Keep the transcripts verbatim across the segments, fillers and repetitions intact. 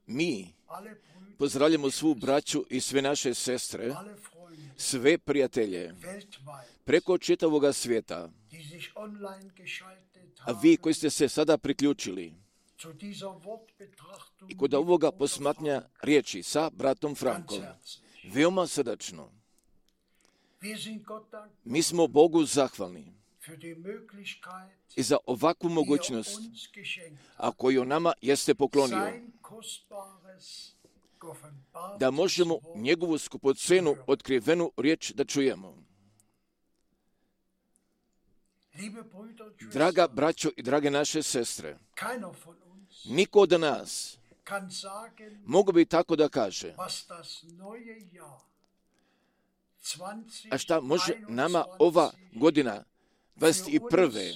Mi pozdravljamo svu braću i sve naše sestre, sve prijatelje preko čitavoga svijeta, a vi koji ste se sada priključili i kod ovoga posmatnja riječi sa bratom Frankom, veoma srdačno. Mi smo Bogu zahvalni i za ovakvu mogućnost, a koju nama jeste poklonio, da možemo njegovu skupocenu otkrivenu riječ da čujemo. Draga braćo i drage naše sestre, niko od nas mogu bi tako da kaže, a šta može nama ova godina dvadeset prve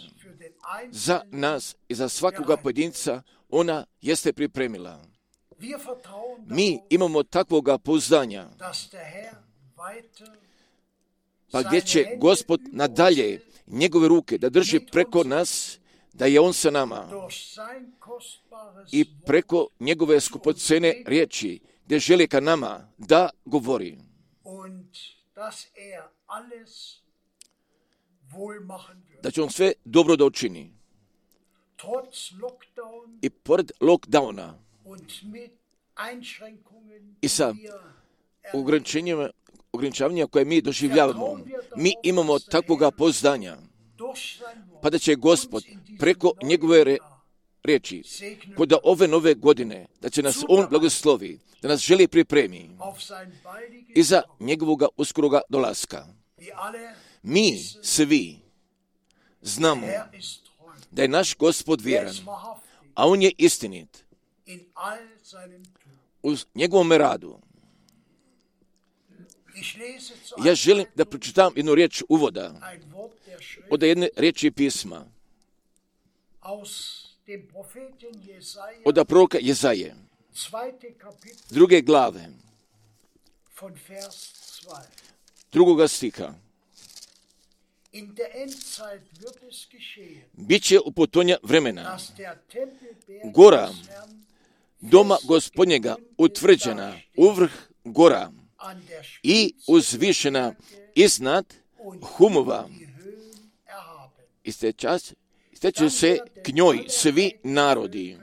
za nas i za svakoga pojedinca ona jeste pripremila. Mi imamo takvoga pouzdanja, pa gdje će Gospod nadalje njegove ruke da drži preko nas, da je on sa nama i preko njegove skupocene riječi, gdje želi ka nama da govori. Da će on sve dobro da učini. I pored lockdowna i sa ograničenjima, ograničavanjima koje mi doživljavamo, mi imamo takvoga pouzdanja, pa da će Gospod preko njegove re, riječi, kod ove nove godine, da će nas on blagoslovi, da nas želi pripremi i za njegovoga uskoroga dolaska. Mi svi znamo da je naš Gospod vjeran, a on je istinit u njegovom radu. Ja želim da pročitam jednu riječ uvoda od jedne riječi pisma od proroka Jezaje, druge glave, drugoga stiha. Biće u potonja vremena gora doma Gospodnjega utvrđena uvrh gora i uzvišena iznad humova. Isteće se k njoj svi narodi.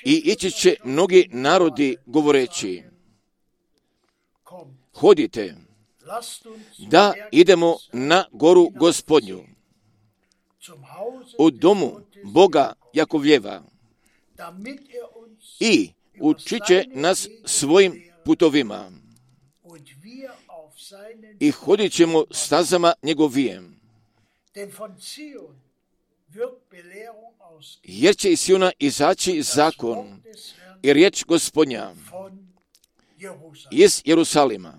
I ići će mnogi narodi govoreći, hodite, da idemo na goru Gospodnju, u domu Boga Jakovljeva, i učit će nas svojim putovima i hodit ćemo stazama njegovijem. Jer će iz Siona izaći zakon i riječ Gospodnja iz Jerusalima.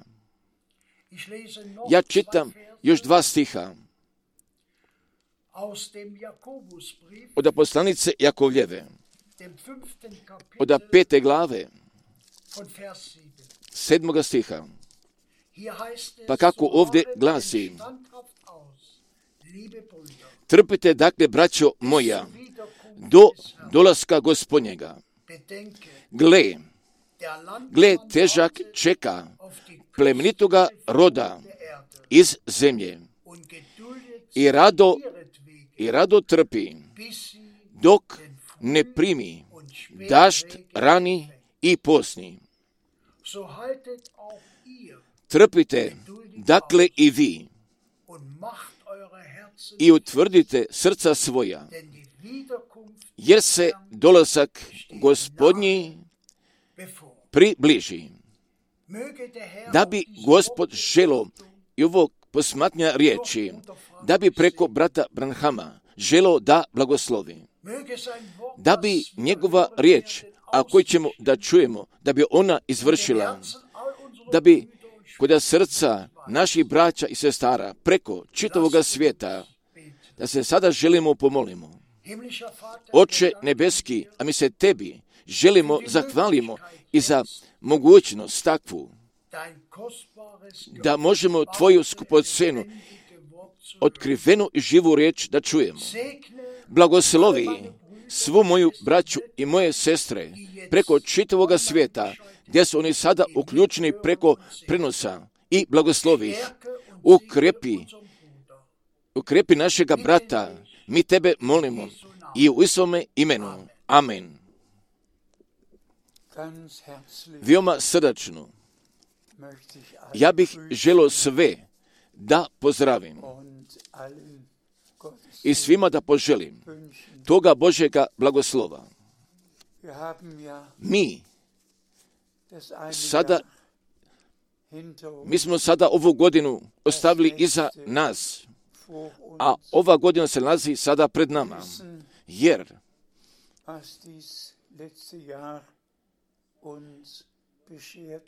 Ja čitam još dva stiha od poslanice Jakovljeve, od pete glave, sedmoga stiha. Pa kako ovdje glasi, trpite dakle, braćo moja, do dolaska Gospodnjega. Gle, gle težak čeka plemenitoga roda iz zemlje i rado, i rado trpi, dok ne primi dašt rani i posni. Trpite, dakle i vi, i utvrdite srca svoja, jer se dolazak Gospodnji približi. Da bi Gospod želo i ovo posmatnja riječi, da bi preko brata Branhama želo da blagoslovi. Da bi njegova riječ, a koju ćemo da čujemo, da bi ona izvršila, da bi kod srca naših braća i sestara preko čitavoga svijeta, da se sada želimo pomolimo. Oče nebeski, a mi se tebi želimo zahvalimo i za mogućnost takvu, da možemo tvoju skupocenu otkrivenu i živu riječ da čujemo. Blagoslovi svu moju braću i moje sestre preko čitavoga svijeta, gdje su oni sada uključeni preko prenosa, i blagoslovi ih. Ukrepi, ukrepi našega brata, mi tebe molimo i u Isovome imenu. Amen. Veoma srdačno ja bih želio sve da pozdravim i svima da poželim toga Božjega blagoslova. Mi sada, mi smo sada ovu godinu ostavili iza nas, a ova godina se nalazi sada pred nama, jer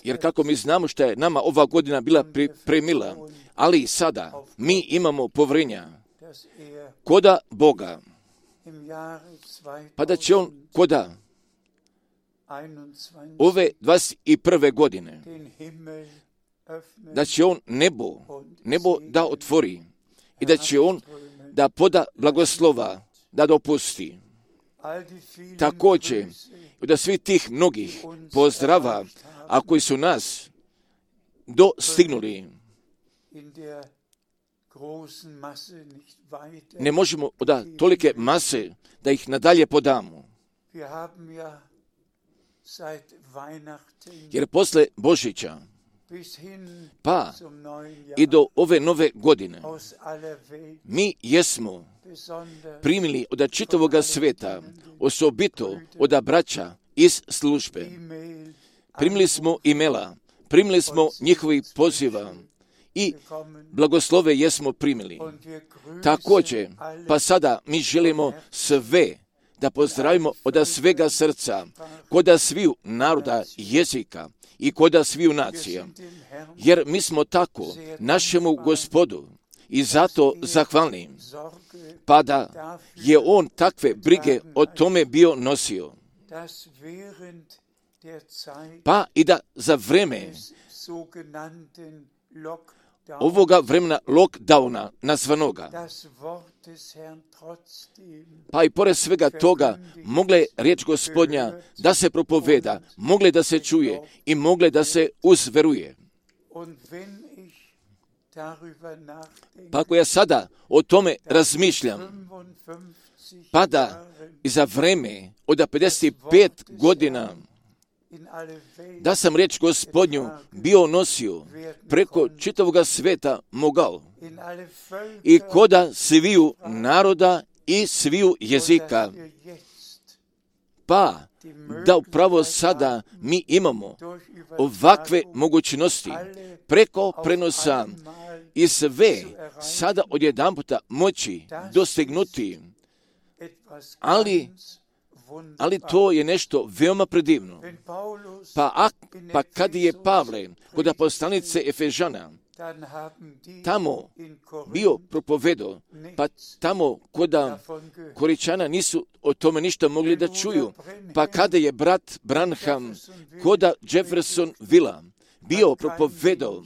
Jer kako mi znamo što je nama ova godina bila pripremila, ali sada mi imamo povjerenja koda Boga, pa da će On koda ove dvadeset prve godine, da će On nebo, nebo da otvori i da će On da poda blagoslova, da dopusti. Također, da svi tih mnogih pozdrava, a koji su nas dostignuli, ne možemo da tolike mase da ih nadalje podamo. Jer posle Božića pa i do ove nove godine mi jesmo primili od čitavoga sveta, osobito od braća iz službe. Primili smo imela, primili smo njihovih poziva i blagoslove jesmo primili. Također, pa sada mi želimo sve da pozdravimo od svega srca, koda sviju naroda, jezika i koda sviju nacija. Jer mi smo tako našemu Gospodu i zato zahvalni, pa da je On takve brige o tome bio nosio. Pa i da za vreme ovoga vremena lockdowna nazvanoga, pa i pored svega toga mogle riječ Gospodnja da se propoveda, mogle da se čuje i mogle da se uzveruje. Pa ako ja sada o tome razmišljam, pa da i za vreme od pedeset pet godina da sam riječ Gospodnju bio nosio preko čitavoga sveta mogao i koda sviju naroda i sviju jezika, pa da upravo sada mi imamo ovakve mogućnosti preko prenosa i sve sada odjedanputa moći dostignuti, ali Ali to je nešto veoma predivno. Pa, a, pa kad je Pavle kod apostolnice Efežana tamo bio propovedo, pa tamo koda Koričana nisu o tome ništa mogli da čuju, pa kada je brat Branham koda Jefferson Villa bio propovedo,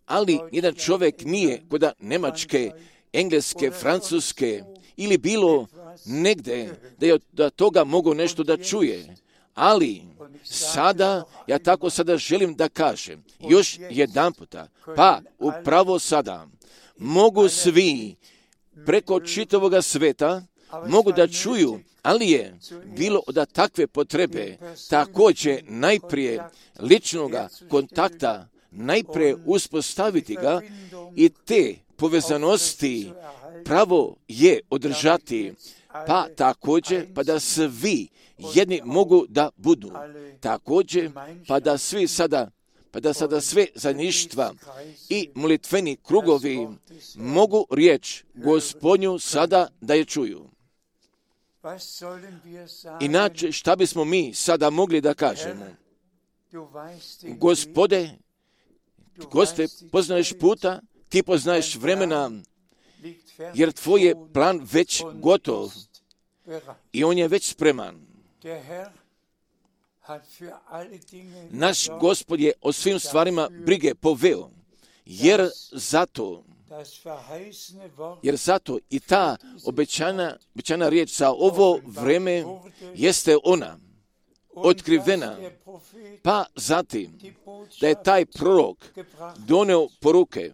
ali jedan čovjek nije koda Njemačke, Engleske, Francuske ili bilo negde da je da toga mogu nešto da čuje. Ali sada, ja tako sada želim da kažem, još jedan puta, pa upravo sada mogu svi preko čitavoga sveta mogu da čuju, ali je bilo od takve potrebe također najprije ličnoga kontakta, najprije uspostaviti ga i te povezanosti pravo je održati, pa također pa da svi jedni mogu da budu. Također pa da svi sada, pa da sada sve zajedništva i molitveni krugovi mogu riječ Gospodnju sada da je čuju. Inače, šta bismo mi sada mogli da kažemo? Gospode, Goste, poznaješ puta, ti poznaješ vremena, jer tvoj je plan već gotov i on je već spreman. Naš Gospod je o svim stvarima brige poveo, jer zato Jer zato i ta obećana, obećana riječ za ovo vreme jeste ona otkrivena, pa zatim da je taj prorok doneo poruke,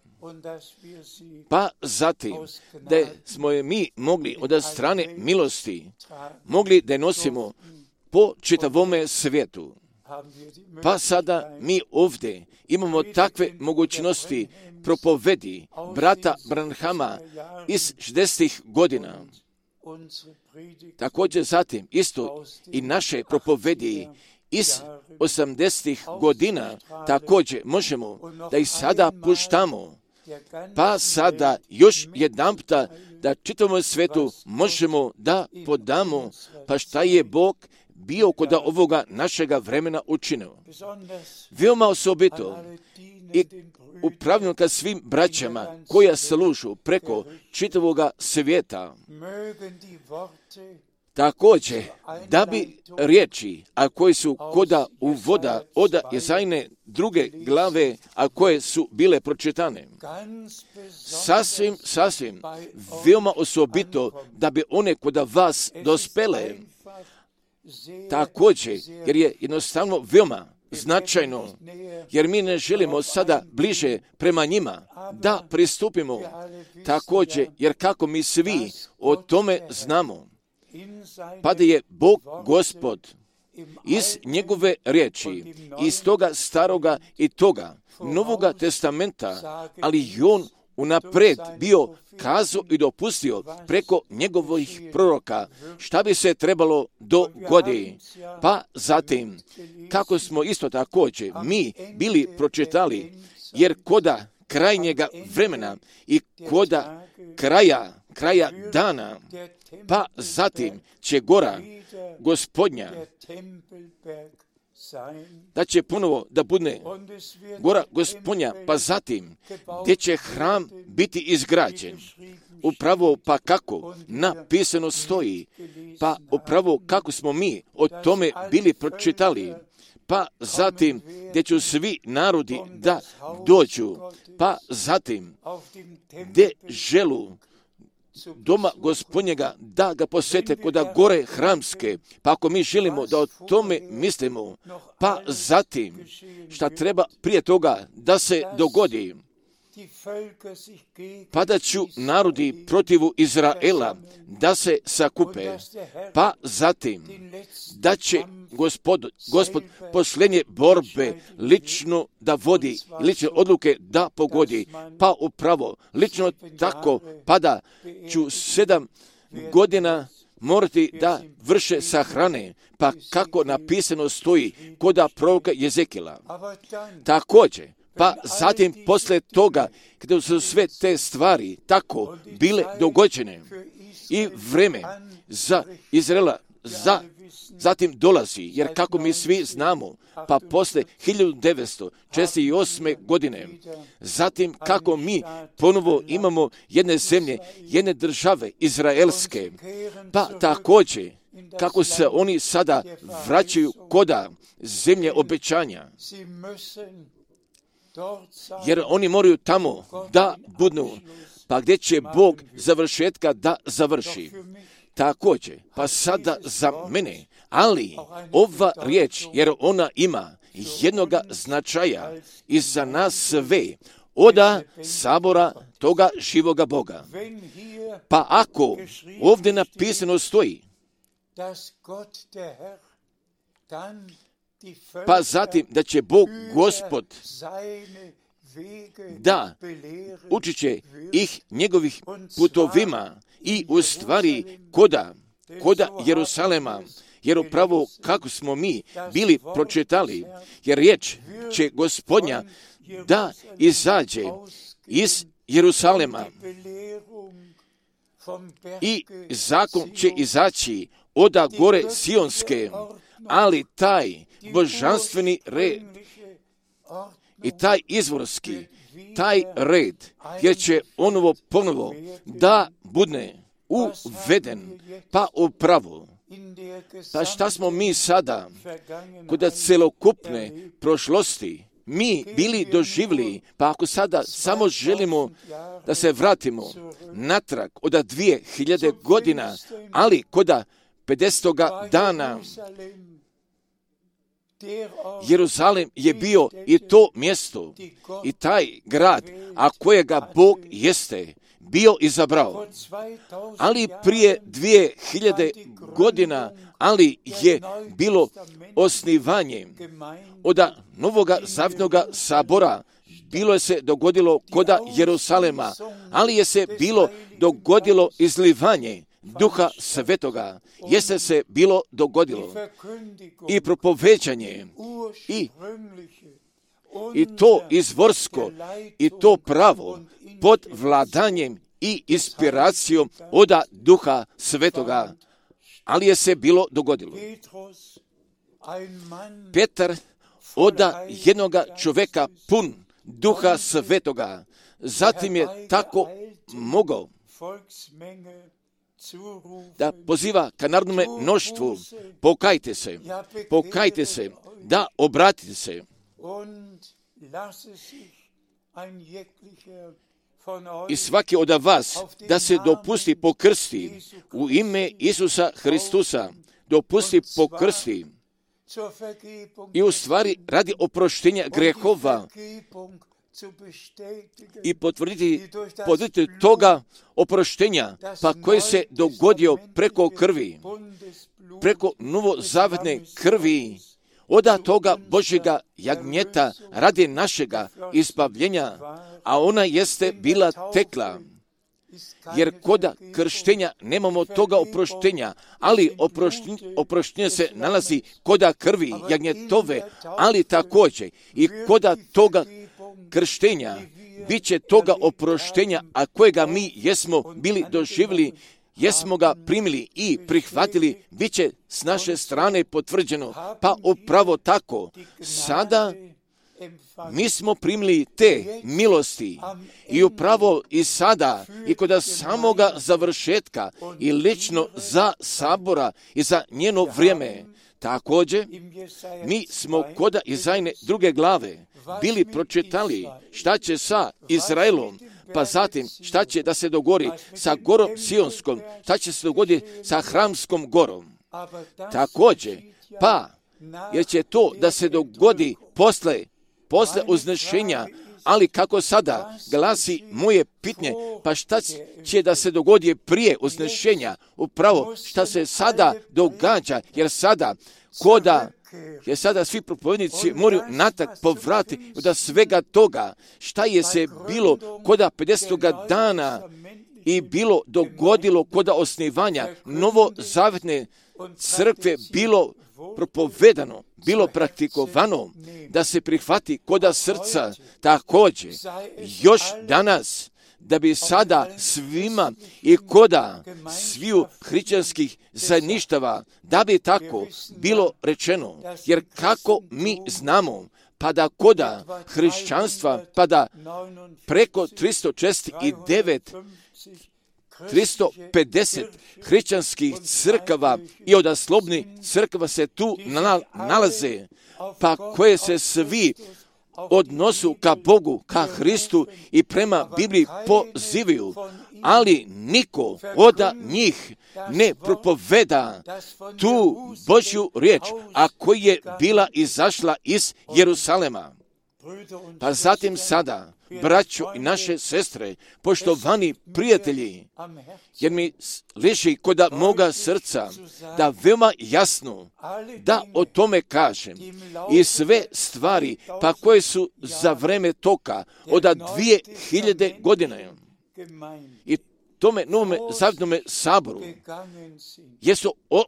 pa zatim da smo je mi mogli od strane milosti mogli da je nosimo po čitavome svijetu. Pa sada mi ovdje imamo takve mogućnosti propovedi brata Branhama iz šezdesetih godina. Također zatim isto i naše propovedi iz osamdesetih godina također možemo da ih sada puštamo. Pa sada još jedanputa da čitavom svetu možemo da podamo pa šta je Bog bio kod ovoga našega vremena učinio. Veoma osobito i upravljeno ka svim braćama koja služu preko čitavoga svijeta. Također, da bi riječi, a koje su koda uvoda od Jezajne druge glave, a koje su bile pročitane, sasvim, sasvim, veoma osobito da bi one koda vas dospele, također, jer je jednostavno veoma značajno, jer mi ne želimo sada bliže prema njima da pristupimo, također, jer kako mi svi o tome znamo, pa da je Bog Gospod iz njegove riječi, iz toga staroga i toga Novoga testamenta, ali i on unaprijed bio kazao i dopustio preko njegovih proroka šta bi se trebalo dogoditi. Pa zatim, kako smo isto također mi bili pročitali, jer koda krajnjega vremena i koda kraja, kraja dana, pa zatim će gora Gospodnja, da će ponovo da bude gora Gospodnja, pa zatim gdje će hram biti izgrađen. Upravo pa kako napisano stoji, pa upravo kako smo mi o tome bili pročitali, pa zatim gdje će svi narodi da dođu, pa zatim gdje želu doma Gospodnjega da ga posjete koda gore hramske, pa ako mi želimo da o tome mislimo, pa zatim šta treba prije toga da se dogodi, pa da ću narodi protivu Izraela da se sakupe, pa zatim da će Gospod, Gospod posljednje borbe lično da vodi, lične odluke da pogodi, pa upravo lično tako, pa da ću sedam godina morati da vrše sahrane, pa kako napisano stoji koda proroka Jezekila. Također, pa zatim posle toga, kada su sve te stvari tako bile dogođene i vreme za Izraela za, zatim dolazi, jer kako mi svi znamo, pa posle hiljadu devetsto četrdeset osme godine, zatim kako mi ponovo imamo jedne zemlje, jedne države izraelske, pa također kako se oni sada vraćaju koda zemlje obećanja, jer oni moraju tamo da budu, pa gdje će Bog završetka da završi. Također, pa sada za mene, ali ova riječ, jer ona ima jednoga značaja i za nas sve, oda sabora toga živoga Boga. Pa ako ovdje napisano stoji, pa zatim da će Bog Gospod da učit će ih njegovih putovima i u stvari koda, koda Jerusalema, jer upravo kako smo mi bili pročitali, jer riječ će Gospodnja da izađe iz Jerusalema i zakon će izaći oda gore Sionske, ali taj božanstveni red i taj izvorski, taj red, jer će onovo ponovo da bude uveden, pa upravo. Pa šta smo mi sada, kod celokupne prošlosti, mi bili doživjeli, pa ako sada samo želimo da se vratimo natrag od dvije hiljade godina, ali koda pedesetoga dana, Jeruzalem je bio i to mjesto i taj grad, a kojega Bog jeste bio izabrao. Ali prije dvije hiljade godina, ali je bilo osnivanje od Novoga Zavjetnoga sabora. Bilo je se dogodilo koda Jeruzalema, ali je se bilo dogodilo izlivanje Duha Svetoga, jeste se bilo dogodilo i propoveđanje i, i to izvorsko i to pravo pod vladanjem i inspiracijom od Duha Svetoga, ali je se bilo dogodilo. Petar od jednoga čoveka pun Duha Svetoga, zatim je tako mogao da poziva ka narodnome mnoštvu, pokajte se, pokajte se, da obratite se. I svaki od vas da se dopusti pokrsti u ime Isusa Hristusa, dopusti pokrsti i u stvari radi oproštenja grehova i potvrditi, potvrditi toga oproštenja, pa koje se dogodio preko krvi, preko novozavetne krvi, od toga Božjega jagnjeta radi našega izbavljenja, a ona jeste bila tekla. Jer koda krštenja nemamo toga oproštenja, ali oproštenje, oproštenje se nalazi koda krvi jagnjetove, ali također i koda toga krštenja bit će toga oproštenja, a kojega mi jesmo bili doživjeli, jesmo ga primili i prihvatili, bit će s naše strane potvrđeno. Pa upravo tako, sada mi smo primili te milosti i upravo i sada i kod samoga završetka i lično za sabora i za njeno vrijeme. Također, mi smo kod Izajne druge glave bili pročitali šta će sa Izraelom, pa zatim šta će da se dogodi sa gorom Sionskom, šta će se dogoditi sa Hramskom gorom. Također, pa jer će to da se dogodi posle posle uznešenja, ali kako sada glasi moje pitanje, pa šta će da se dogodi prije uznešenja, upravo šta se sada događa, jer sada koda, jer sada svi propovednici moraju natak povrati od svega toga, šta je se bilo koda pedesetoga dana i bilo dogodilo koda osnivanja novozavetne crkve, bilo propovedano, bilo praktikovano, da se prihvati koda srca, također još danas, da bi sada svima i koda sviju hrišćanskih zajedništava, da bi tako bilo rečeno, jer kako mi znamo, pa da koda hrišćanstva, pa da preko tristo četrdeset devet tristo pedeset hrišćanskih crkava i odaslobnih crkava se tu nalaze, pa koje se svi odnosu ka Bogu, ka Hristu i prema Bibliji pozivaju, ali niko od njih ne propoveda tu Božju riječ, a koja je bila izašla iz Jerusalema. Pa zatim sada, braćo i naše sestre, poštovani prijatelji, jer mi leži kod moga srca da veoma jasno da o tome kažem i sve stvari pa koje su za vreme toka od dvije hiljade godine i tome novome zavjetnome saboru jesu o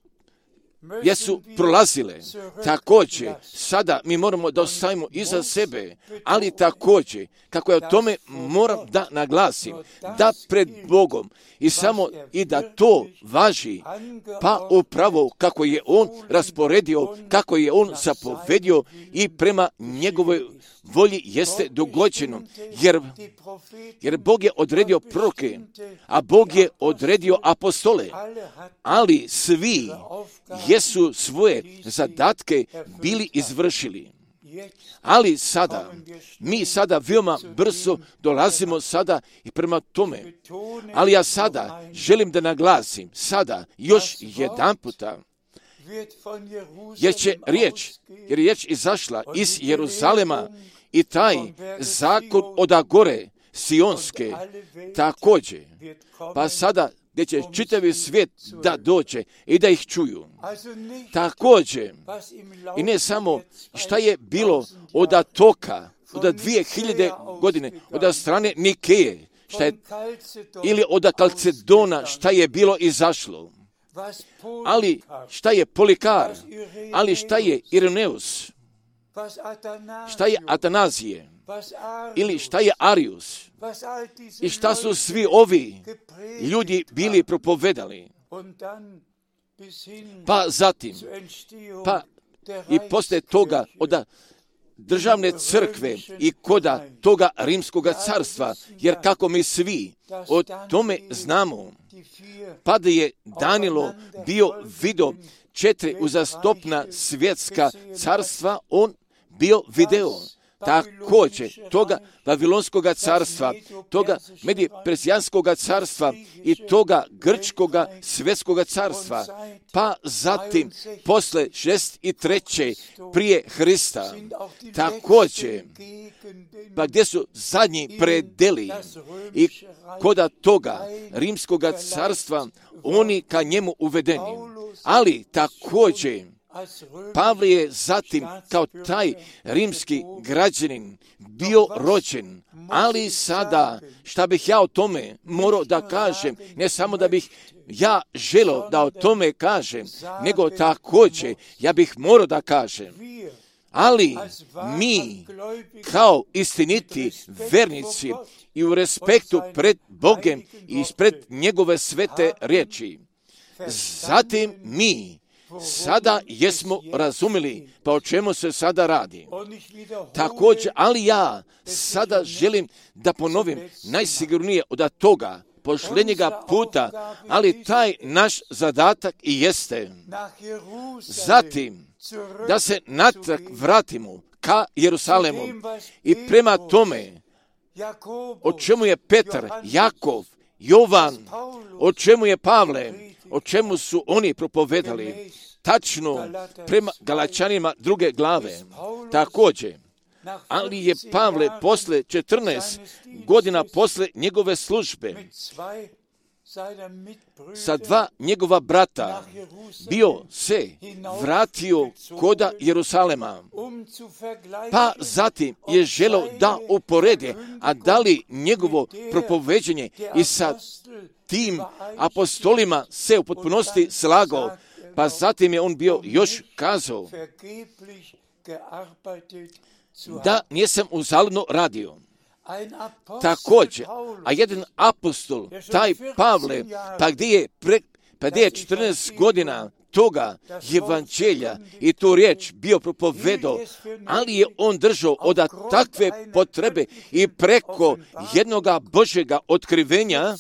jesu prolazile. Također, sada mi moramo da ostavimo iza sebe, ali također, kako ja o tome moram da naglasim, da pred Bogom i samo i da to važi, pa upravo kako je On rasporedio, kako je On zapovedio i prema njegovoj volji jeste dogođeno, jer, jer Bog je odredio proroke, a Bog je odredio apostole, ali svi jesu svoje zadatke bili izvršili. Ali sada, mi sada veoma brzo dolazimo sada i prema tome. Ali ja sada želim da naglasim, sada još jedan puta, jer će riječ, jer je riječ izašla iz Jeruzalema i taj zakon od gore Sionske također, pa sada gdje će čitavi svijet da dođe i da ih čuju. Također, i ne samo šta je bilo od toka, od dvije hiljade godine, od strane Nikeje, šta je, ili od Kalcedona, šta je bilo izašlo. Ali šta je Polikar, ali šta je Ireneus, šta je Atanazije, ili šta je Arius, i šta su svi ovi ljudi bili propovedali. Pa zatim, pa i poslije toga od državne crkve i koda toga rimskog carstva, jer kako mi svi o tome znamo, pa da je Danilo bio vidio četiri uzastopna svjetska carstva, on bio video također toga Vavilonskog carstva, toga Medije-Persijanskog carstva i toga Grčkoga svjetskog carstva, pa zatim posle šezdeset treće prije Hrista, također, pa gdje su zadnji predeli i koda toga Rimskog carstva, oni ka njemu uvedeni. Ali također, Pavle je zatim kao taj rimski građanin bio rođen, ali sada, šta bih ja o tome morao da kažem, ne samo da bih ja želio da o tome kažem, nego također ja bih morao da kažem. Ali mi, kao istiniti vernici i u respektu pred Bogom i pred njegove svete riječi, zatim mi sada jesmo razumjeli pa o čemu se sada radi. Također, ali ja sada želim da ponovim najsigurnije od toga posljednjega puta, ali taj naš zadatak i jeste zatim da se natrag vratimo ka Jerusalemu i prema tome o čemu je Petar, Jakov, Jovan, o čemu je Pavle, o čemu su oni propovedali, tačno prema Galačanima druge glave. Također, ali je Pavle posle četrnaest godina posle njegove službe sa dva njegova brata bio se vratio koda Jerusalema, pa zatim je želeo da uporede, a da li njegovo propoveđenje i sa tim apostolima se u potpunosti slagao, pa zatim je on bio još kazao da nisam uzaludno radio. Također, a jedan apostol, taj Pavle, pa gdje je, pre, pa gdje je četrnaest godina toga evanđelja i tu riječ bio propovedao, ali je on držao od takve potrebe i preko jednoga Božjega otkrivenja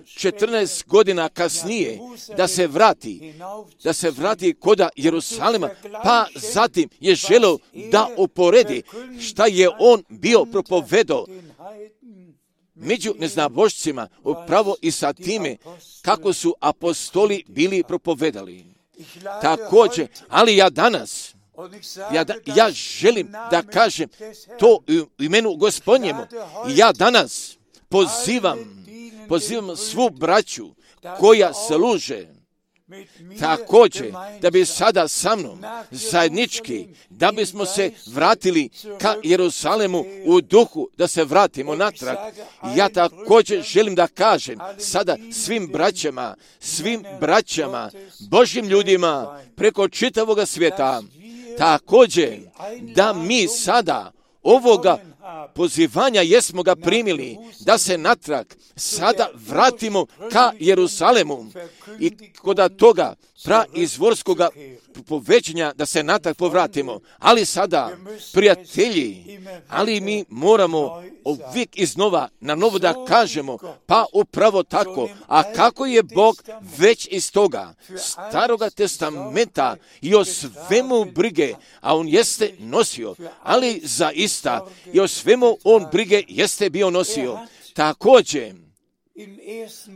četrnaest godina kasnije da se vrati, da se vrati koda Jerusalima, pa zatim je želeo da uporedi šta je on bio propovedao među neznabošcima, upravo i sa time kako su apostoli bili propovedali. Također, ali ja danas, ja, da, ja želim da kažem to u imenu Gospodnjemu. Ja danas pozivam, pozivam svu braću koja služe također da bi sada sa mnom zajednički, da bismo se vratili ka Jerusalemu u duhu, da se vratimo natrag. Ja također želim da kažem sada svim braćama, svim braćama, Božjim ljudima preko čitavoga svijeta, također da mi sada ovoga pozivanja jesmo ga primili, da se natrag sada vratimo ka Jerusalemu i koda toga praizvorskoga povećanja da se natrag povratimo. Ali sada, prijatelji, ali mi moramo uvijek iznova na novo da kažemo, pa upravo tako. A kako je Bog već iz toga Staroga testamenta i o svemu brige, a on jeste nosio, ali zaista i o svemu on brige jeste bio nosio. Također,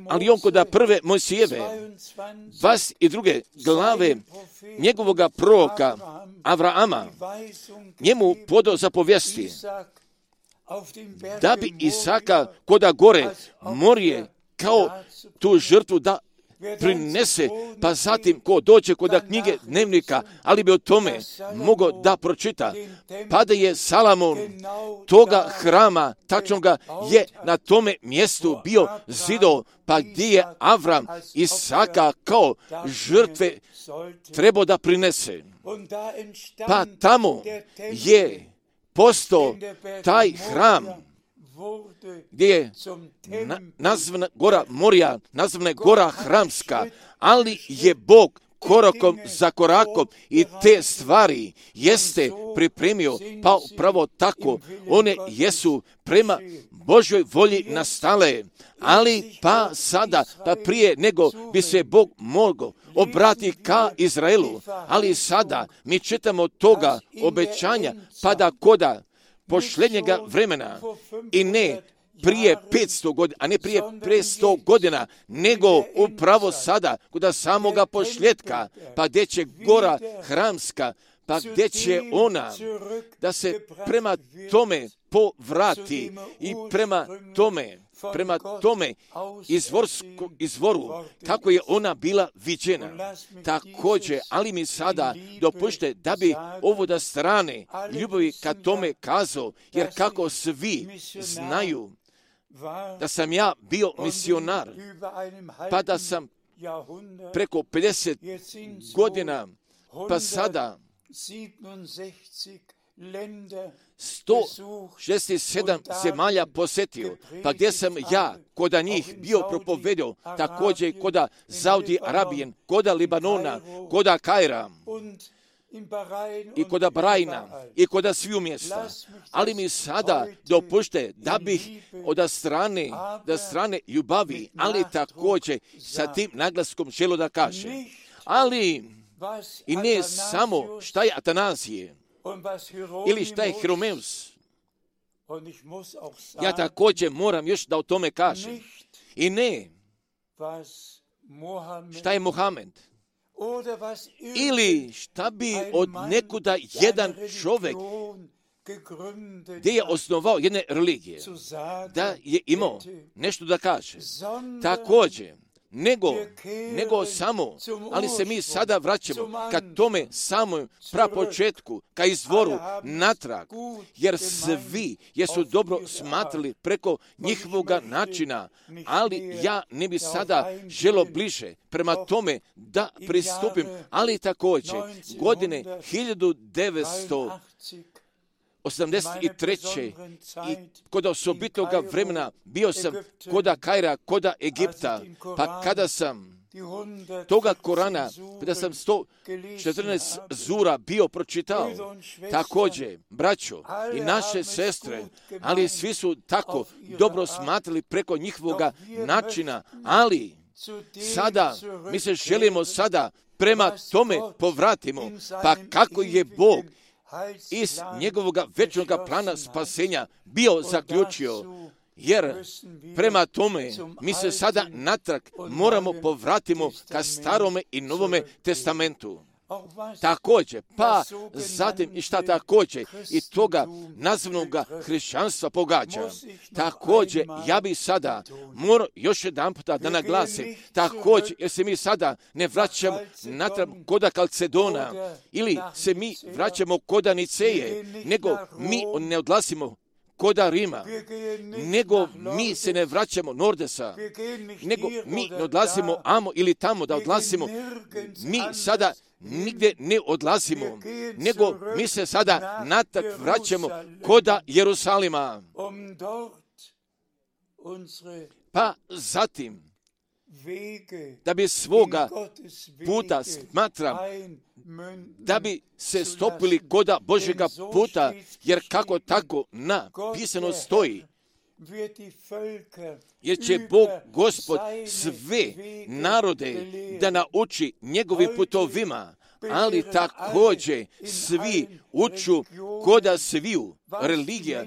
ali on kod prve Mojsijeve, dvadeset druge glave njegovoga proroka Avrama, njemu podao zapovijesti da bi Isaka koda gore morije kao tu žrtvu da prinese, pa zatim ko dođe kod knjige dnevnika, ali bi o tome mogao da pročita. Pa da je Salomon toga hrama, tačnoga je na tome mjestu bio zido, pa gdje je Avram Isaka kao žrtve trebao da prinese. Pa tamo je postao taj hram gdje je na, nazvana gora Morija, nazvana je gora hramska, ali je Bog korakom za korakom i te stvari jeste pripremio, pa upravo tako one jesu prema Božoj volji nastale, ali pa sada, pa prije nego bi se Bog mogao obratiti ka Izraelu, ali sada mi čitamo toga obećanja, pa da koda posljednjega vremena i ne prije petsto godina, a ne prije petsto godina, nego upravo sada, kod samoga posljedka, pa gdje će gora hramska, pa gdje će ona da se prema tome povrati i prema tome, prema tome izvorsko, izvoru, kako je ona bila viđena. Također, ali mi sada dopušte da bi ovo da strane ljubavi ka tome kazao, jer kako svi znaju da sam ja bio misionar, pa da sam preko pedeset godina, pa sada sto šezdeset sedam zemalja posjetio, pa gdje sam ja koda njih bio propovedio, također koda Saudi Arabijen, koda Libanona, koda Kaira, i koda Brajna, i koda sviju mjesta. Ali mi sada dopušte da bih od strane, da strane ljubavi, ali također sa tim naglaskom želo da kaže. Ali i ne samo šta je Atanazije, ili šta je Hieromeus. Ja također moram još da o tome kažem. I ne šta je Mohamed. Ili šta bi od nekuda jedan čovjek gdje je osnovao jedne religije, da je imao nešto da kaže. Također, nego, nego samo, ali se mi sada vraćamo ka tome samom prapočetku, ka izvoru natrag, jer svi jesu dobro smatrali preko njihovoga načina, ali ja ne bi sada želo bliže prema tome da pristupim, ali također godine hiljadu devetsto osamdeset treće i kod osobitoga vremena bio sam koda Kaira, koda Egipta, pa kada sam toga Korana, kada sam sto četrnaest zura bio pročitao, također, braćo i naše sestre, ali svi su tako dobro smatrali preko njihovoga načina, ali sada, mi se želimo sada prema tome povratimo, pa kako je Bog iz njegovog večnog plana spasenja bio zaključio, jer prema tome mi se sada natrag moramo povratimo ka starome i novome testamentu. Također, pa zatim i šta također i toga nazvanog hrišćanstva pogađa. Također, ja bi sada morao još jedan puta da naglasim, također, jer se mi sada ne vraćamo natrag koda Kalcedona ili se mi vraćamo koda Niceje, nego mi ne odlasimo koda Rima, nego mi se ne vraćamo Nordesa, nego mi ne odlazimo amo ili tamo da odlazimo, mi sada nigdje ne odlazimo, nego mi se sada natrag vraćamo koda Jerusalima. Pa zatim da bi svoga puta smatram, da bi se stopili koda Božjega puta, jer kako tako napisano stoji, jer će Bog Gospod sve narode da nauči njegovim putovima, ali također svi uču koda sviju religija,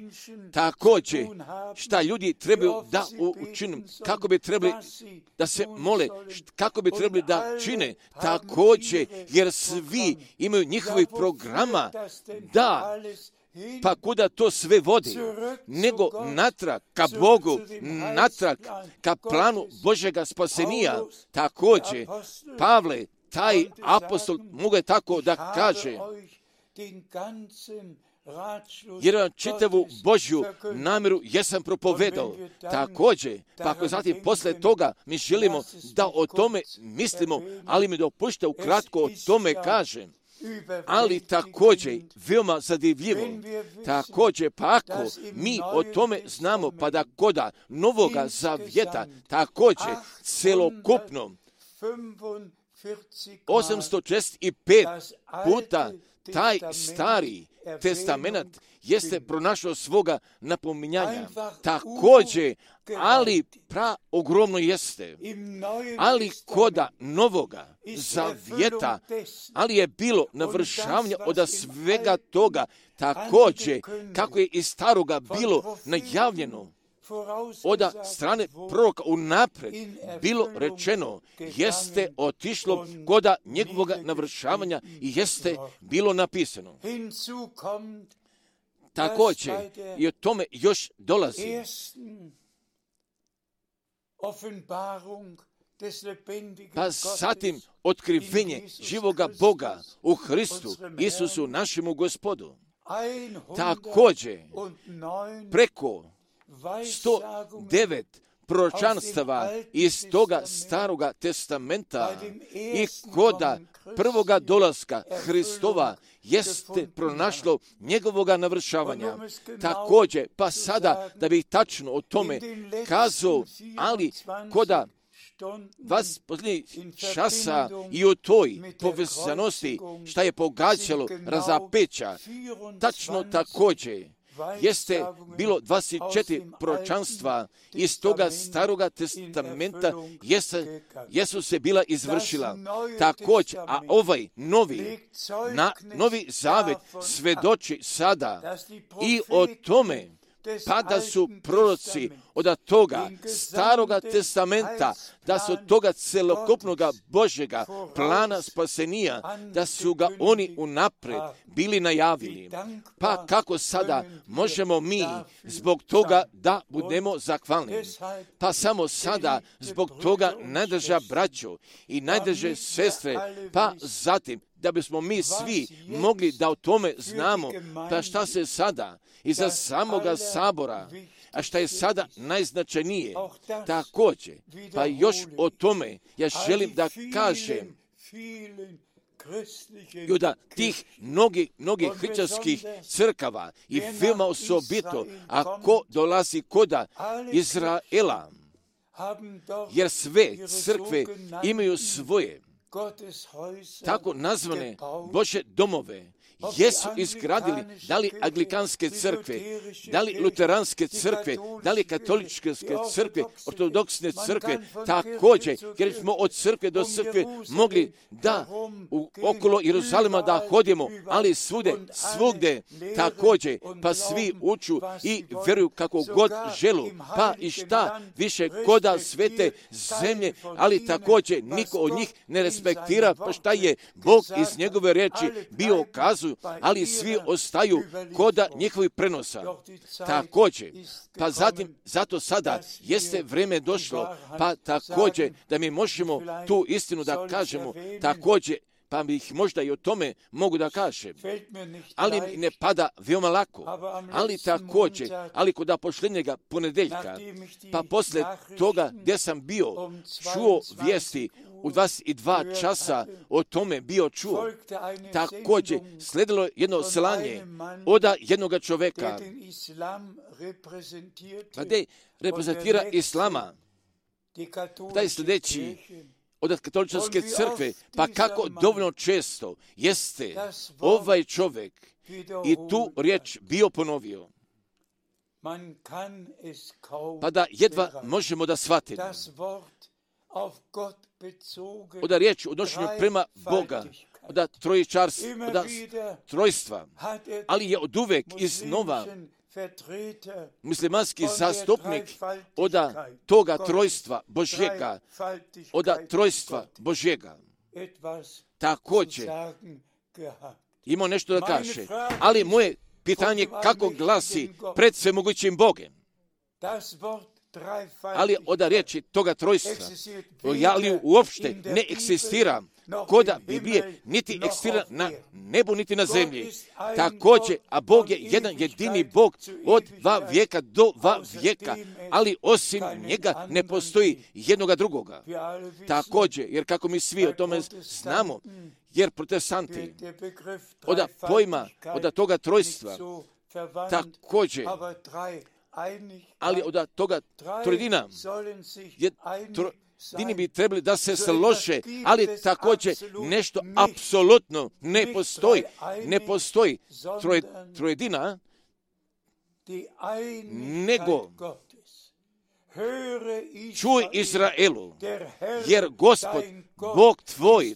također šta ljudi trebaju da učinu, kako bi trebali da se mole, kako bi trebali da čine, također jer svi imaju njihovih programa, da pa kuda to sve vodi, nego natrag ka Bogu, natrag ka planu Božjega spasenija. Također, Pavle, taj apostol, mogu je tako da kaže, jer vam čitavu Božju namjeru jesam propovedao. Također, pa ako zatim posle toga mi želimo da o tome mislimo, ali mi dopušte ukratko o tome kažem. Ali također, veoma zadivljivo, također, pa ako mi o tome znamo, pa da koda Novoga Zavjeta, također, celokupno, osamsto četrdeset pet puta taj stari testament jeste pronašao svoga napominjanja. Također, ali pra ogromno jeste, ali koda Novoga Zavjeta, ali je bilo navršavanje od svega toga, također, kako je iz staroga bilo najavljeno, od strane proroka unapred bilo rečeno, jeste otišlo koda njegovoga navršavanja i jeste bilo napisano. Također i o tome još dolazi. Pa zatim otkrivenje živoga Boga u Hristu, Isusu našemu Gospodu. Također preko sto devet proročanstava iz toga staroga testamenta i koda prvoga dolaska Hristova jeste pronašlo njegovoga navršavanja. Također, pa sada da bih tačno o tome kazao, ali koda vas posljednjih časa i u toj povezanosti šta je pogađalo razapeća, tačno također jeste bilo dvadeset četiri proročanstva iz toga staroga testamenta jesu, jesu se bila izvršila. Također, a ovaj novi, na, novi zavet svedoči sada i o tome, pa da su proroci od toga staroga testamenta, da su od toga celokupnog Božjega plana spasenija, da su ga oni unapred bili najavili. Pa kako sada možemo mi zbog toga da budemo zahvalni? Pa samo sada zbog toga najdrža braćo i najdrže sestre, pa zatim da bismo mi svi mogli da o tome znamo, pa šta se sada iza samoga sabora, a šta je sada najznačajnije, također, pa još o tome ja želim da kažem, i da tih mnogih, mnogih hrišćanskih crkava i veoma osobito, ako dolazi koda Izraela, jer sve crkve imaju svoje tako nazvane Božje domove, jesu izgradili da li anglikanske crkve, da li luteranske crkve, da li katoličke crkve, ortodoksne crkve, također, jer smo od crkve do crkve mogli da u, okolo Jeruzalema da hodimo, ali svude, svugde, također, pa svi uču i vjeruju kako god želu, pa i šta više koda svete zemlje, ali također niko od njih ne respektira, pa šta je Bog iz njegove reči bio kazu, ali svi ostaju koda njihovih prenosa. Također, pa zatim, zato sada jeste vrijeme došlo, pa također da mi možemo tu istinu da kažemo, također, pa bih možda i o tome mogu da kažem. Ali mi ne pada veoma lako. Ali također, ali kod posljednjega ponedeljka, pa posle toga gdje sam bio, čuo vijesti u dvadeset dva časa o tome bio čuo. Također, sledilo jedno slanje od jednog čoveka, pa gdje reprezentira islama. taj sljedeći od katoličke crkve, pa kako dovoljno često jeste ovaj čovjek i tu riječ bio ponovio, pa da jedva možemo da shvatimo. Oda riječ u odnošenju prema Boga, oda trojičarstva, oda trojstva, ali je od uvek iznova muslimanski zastupnik oda toga trojstva Božjega, oda trojstva Božjega. Također imao nešto da kaže, ali moje pitanje kako glasi pred svemogućim Bogem. Ali oda riječi toga trojstva, ali uopšte ne eksistira koda Biblije, niti eksistira na nebu, niti na zemlji. Također, a Bog je jedan jedini Bog od dva vijeka do dva vijeka, ali osim njega ne postoji jednoga drugoga. Također, jer kako mi svi o tome znamo, jer protestanti oda pojma, oda toga trojstva, također, ali od toga trojedina, trojedini bi trebali da se slože, ali također nešto apsolutno ne postoji. Ne postoji troje, trojedina, nego čuj Izraelu, jer Gospod, Bog tvoj,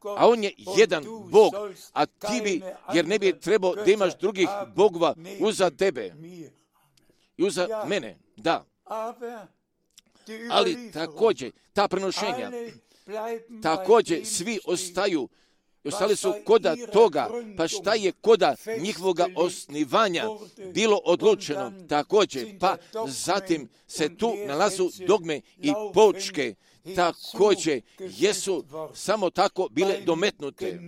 a On je jedan Bog, a ti bi, jer ne bi trebao da imaš drugih bogova uza tebe i uza mene, da. Ali također, ta prenošenja, također svi ostaju, ostali su koda toga, pa šta je koda njihovoga osnivanja bilo odlučeno, također, pa zatim se tu nalazu dogme i poučke, također jesu samo tako bile dometnute.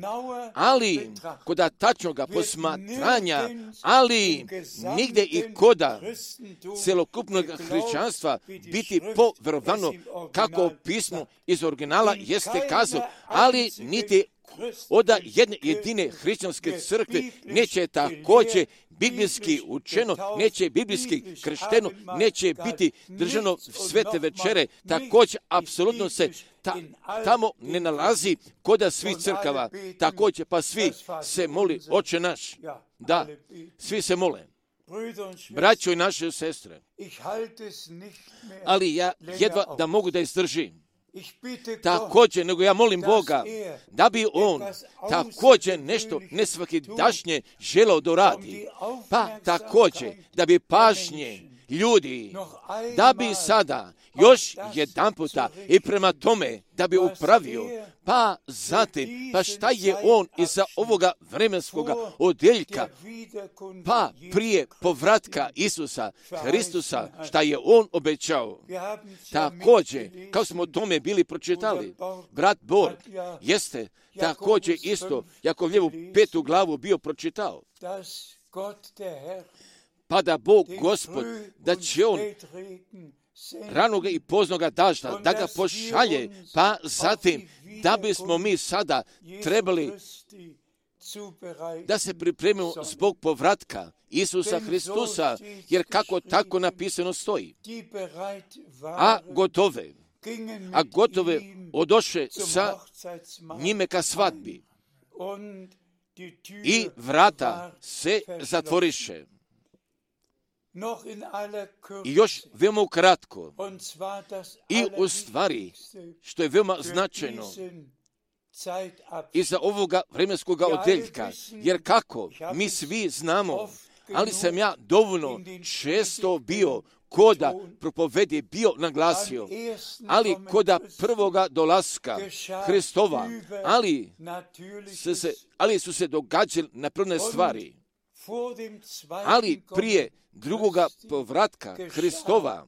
Ali koda tačnoga posmatranja, ali nigde i koda celokupnog hrišćanstva biti poverovano kako pismo iz originala jeste kazao, ali niti oda jedne jedine hrišćanske crkve neće također biblijski učeno, neće biblijski kršteno, neće biti držano svete večere, također apsolutno se ta, tamo ne nalazi koda svih crkava, također pa svi se moli Oče naš, da, svi se mole, braćo i naše sestre, ali ja jedva da mogu da izdržim. Također, nego ja molim Boga da bi On također nešto nesvakidašnje želeo da radi, pa također da bi pažnje ljudi, da bi sada još jedan puta i prema tome da bi upravio, pa zatim, pa šta je On iza ovoga vremenskoga odjeljka, pa prije povratka Isusa Hristusa, šta je On obećao. Također, kao smo o tome bili pročitali, brat Bor jeste također isto, Jakovljevu petu glavu bio pročitao, pa da Bog Gospod, da će On ranoga i poznoga dažda, da ga pošalje, pa zatim da bismo mi sada trebali da se pripremimo zbog povratka Isusa Hristusa, jer kako tako napisano stoji. A gotove, a gotove odoše sa njime ka svadbi i vrata se zatvoriše. I još veoma kratko, i u stvari, što je veoma značajno, iza ovoga vremenskoga odjeljka, jer kako mi svi znamo, ali sam ja dovoljno često bio koda propovedi bio naglasio, ali koda prvoga dolaska Hristova, ali su se, ali su se događale napravne stvari, ali prije drugoga povratka Hristova,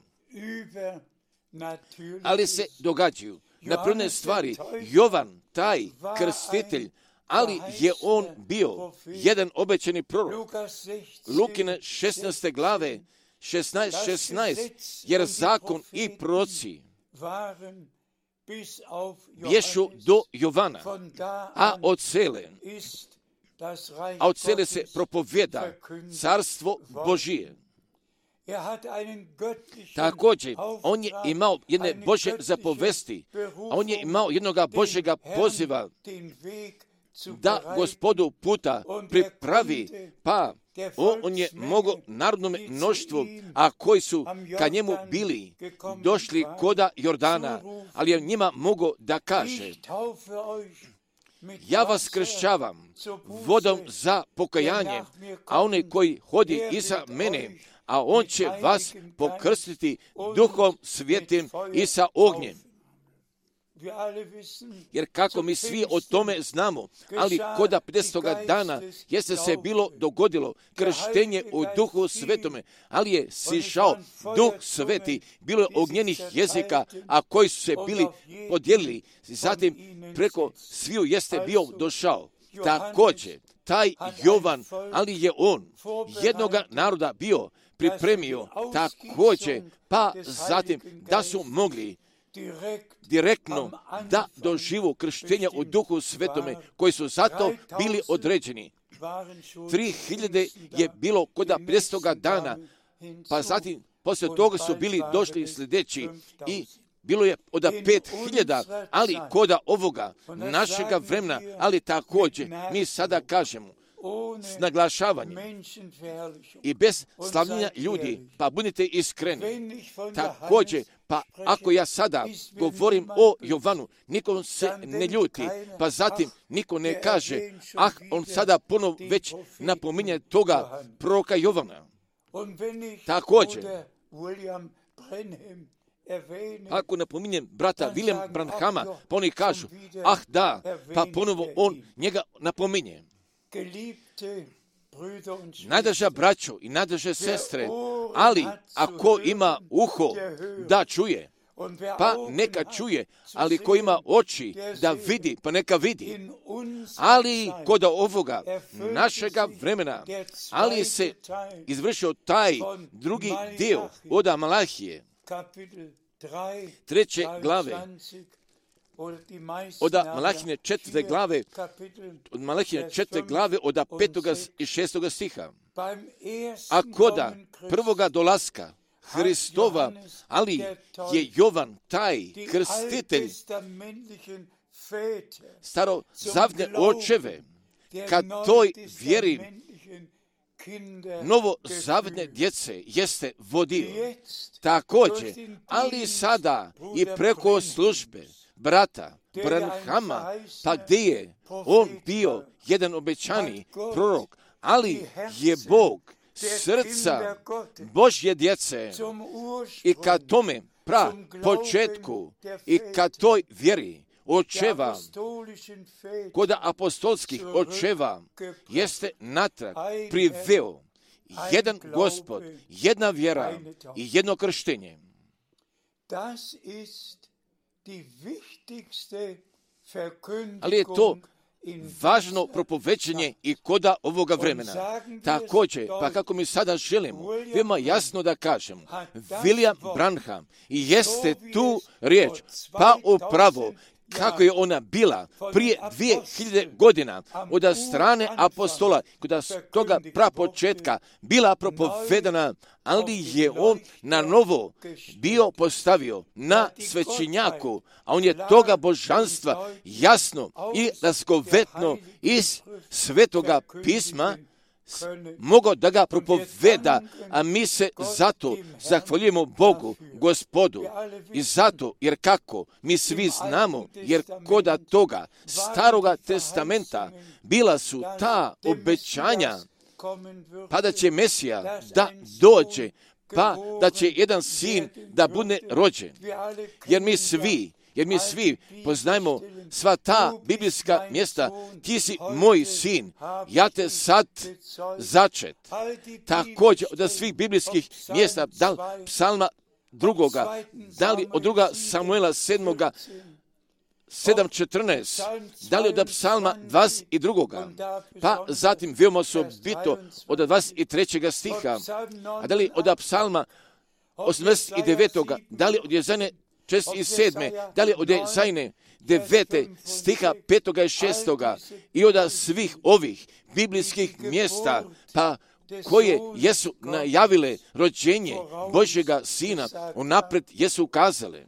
ali se događaju napravne stvari. Jovan, taj krstitelj, ali je on bio jedan obećani prorok. Lukine šesnaeste glave, šesnaest šesnaest, jer zakon i proroci bješu do Jovana, a od cele, a od cele se propovjeda carstvo Božije. Također, on je imao jedne Božje zapovesti, on je imao jednoga Božjega poziva da Gospodu puta pripravi, pa on, on je mogao narodnom mnoštvu, a koji su ka njemu bili, došli koda Jordana, ali je njima mogao da kaže: ja vas kršćavam vodom za pokajanje, a onaj koji hodi iza mene, a on će vas pokrstiti Duhom Svetim i sa ognjem. Jer kako mi svi o tome znamo, ali koda pedesetoga dana jeste se bilo dogodilo krštenje u Duhu Svetome, ali je sišao Duh Sveti, bilo je ognjenih jezika, a koji su se bili podijelili, zatim preko sviju jeste bio došao. Također, taj Jovan, ali je on jednoga naroda bio pripremio također, pa zatim da su mogli direktno da doživu krštenja u Duhu Svetome, koji su zato bili određeni. Tri hiljade je bilo koda pedesetoga dana, pa zatim poslije toga su bili došli sljedeći i bilo je od pet hiljada, ali koda ovoga našega vremena, ali također mi sada kažemo s naglašavanjem i bez slavljenja ljudi, pa budite iskreni. Također, pa ako ja sada govorim o Jovanu, nikom se ne ljuti, pa zatim niko ne kaže: ah, on sada ponovo već napominje toga proroka Jovana. Također, ako napominjem brata William Branhama, pa oni kažu: ah da, pa ponovo on njega napominje. Najdraža braćo i najdraže sestre, ali ako ima uho da čuje, pa neka čuje, ali ko ima oči da vidi, pa neka vidi. Ali kod ovoga našega vremena, ali se izvršio taj drugi dio od Malahije, treće glave, od Malahine četvrte glave, od Malahine četvrte glave, od petoga i šestoga stiha. A koda prvoga dolaska Hristova, ali je Jovan taj krstitelj starozavne očeve, kad toj vjeri novozavne djece jeste vodio. Također, ali sada i preko službe brata Branhama, pa gdje je on bio jedan obećani prorok, ali je Bog srca Božje djece i kad tome pra početku i kad toj vjeri očeva, kod apostolskih očeva jeste natrag priveo jedan Gospod, jedna vjera i jedno krštenje. Ali je to važno propovećenje i koda ovoga vremena. Također, pa kako mi sada želimo veoma jasno da kažemo, William Branham i jeste tu riječ, pa upravo kako je ona bila prije dvije hiljade godina od strane apostola, kod toga prapočetka bila propovedana, ali je on na novo bio postavio na svećenjaku, a on je toga božanstva jasno i razgovetno iz svetoga pisma mogao da ga propoveda, a mi se zato zahvaljujemo Bogu, Gospodu. I zato, jer kako, mi svi znamo, jer koda toga staroga testamenta bila su ta obećanja, pa da će Mesija da dođe, pa da će jedan sin da bude rođen. Jer mi svi, jer mi svi poznajemo sva ta biblijska mjesta: ti si moj sin, ja te sad začet. Također od svih biblijskih mjesta, da li psalma drugoga, da li od druga Samuela sedmoga, sedam četrnaest, da li od psalma dvadeset drugoga, pa zatim veoma osobito od dvadeset trećega stiha, a da li od psalma osamdeset devetoga, da li od Jezajne šezdeset sedme, da li od Jezajne devete stiha petoga i šestoga i od svih ovih biblijskih mjesta, pa koje jesu najavile rođenje Božjega Sina, unaprijed jesu ukazale.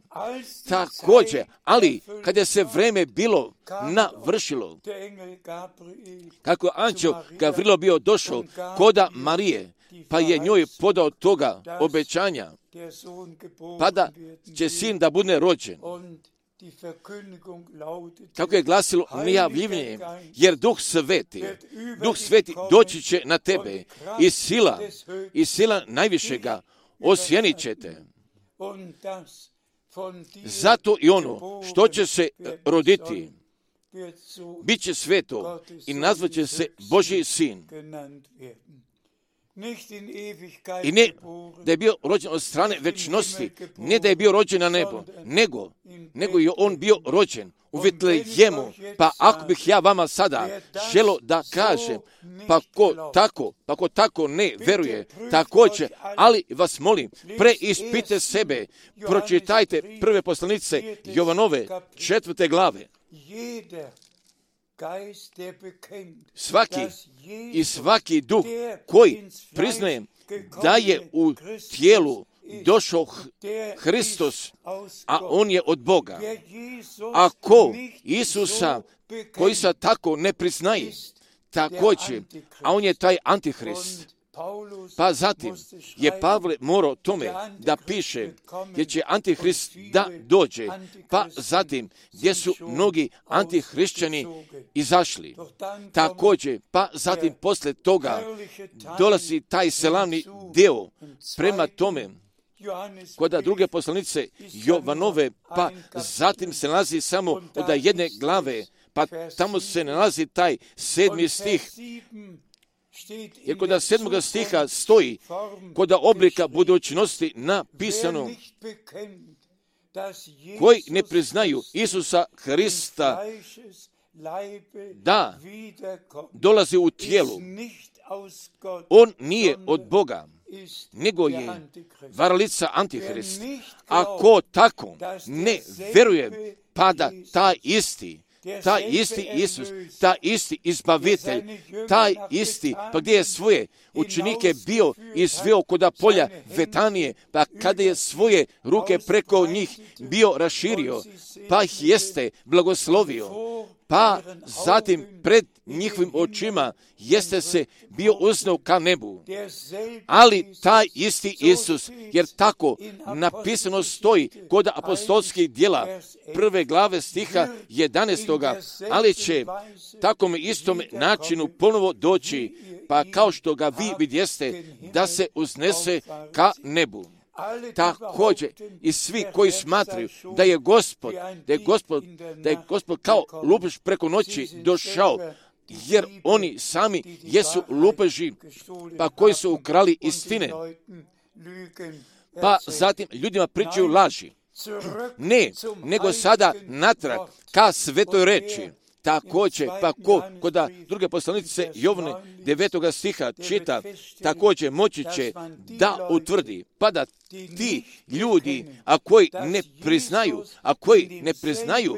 Također, ali kada se vreme bilo navršilo, kako anđeo Gavrilo bio došao koda Marije, pa je njoj podao toga obećanja, pa da će sin da bude rođen. Kako je glasilo najavljivanje, jer Duh Sveti, Duh Sveti doći će na tebe i sila, i sila najvišega osjenit će te. Zato i ono što će se roditi, bit će sveto i nazvat će se Božji sin. I ne da je bio rođen od strane večnosti, ne da je bio rođen na nebo, nego, nego je on bio rođen u Vitlejemu. Pa ako bih ja vama sada želo da kažem, pa ko tako, pa ko tako ne veruje, također, ali vas molim, preispite sebe, pročitajte prve poslanice Jovanove, četvrte glave. Svaki i svaki duh koji priznaje da je u tijelu došao Hristos, a on je od Boga. Ako Isusa koji se tako ne priznaje, također, a on je taj Antihrist. Pa zatim je Pavle morao tome da piše gdje će Antihrist da dođe, pa zatim gdje su mnogi antihrišćani izašli. Također, pa zatim posle toga dolazi taj slavni deo prema tome kod druge poslanice Jovanove, pa zatim se nalazi samo od jedne glave, pa tamo se nalazi taj sedmi stih. Jer kod sedmoga stiha stoji kod oblika budućnosti napisano koji ne priznaju Isusa Hrista da dolazi u tijelu. On nije od Boga, nego je varalica Antihrist. Ako tako ne veruje, pada taj isti, taj isti Isus, taj isti izbavitelj, taj isti, pa gdje je svoje učenike bio izveo koda polja Vetanije, pa kada je svoje ruke preko njih bio raširio, pa ih jeste blagoslovio, pa zatim pred njihovim očima jeste se bio uznao ka nebu. Ali taj isti Isus, jer tako napisano stoji kod apostolskih djela prve glave stiha jedanaestoga, ali će takom istom načinu ponovo doći, pa kao što ga vi vidjeste, da se uznese ka nebu. Također i svi koji smatraju da je Gospod, da je Gospod, da je Gospod kao lupež preko noći došao, jer oni sami jesu lupeži, pa koji su ukrali istine, pa zatim ljudima pričaju laži. Ne, nego sada natrag ka svetoj reči. Također, pa ko, kod druge poslanice Jovne devetoga stiha čita, također moći će da utvrdi, pa da ti ljudi, a koji ne priznaju, a koji ne priznaju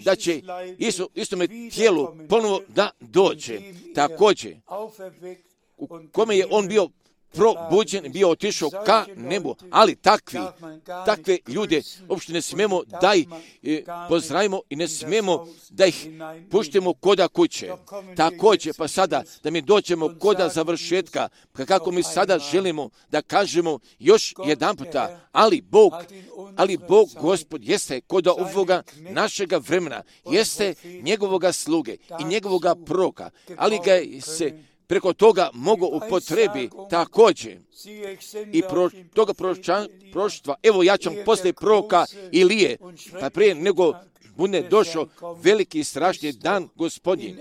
da će isto, istome tijelu ponovo da dođe. Također, u kome je on bio probuđen, bio otišao ka nebu, ali takvi, takve ljude uopšte ne smemo da ih e, pozdravimo i ne smemo da ih puštimo koda kuće. Također, pa sada da mi dođemo koda završetka, kako mi sada želimo da kažemo još jedan puta, ali Bog, ali Bog Gospod jeste koda ovoga našega vremena, jeste njegovoga sluge i njegovoga proroka, ali ga se preko toga mogu upotrebi također i pro, toga proštva. Evo ja ću poslije proroka Ilije, pa prije nego bude došao veliki i strašni dan Gospodnji.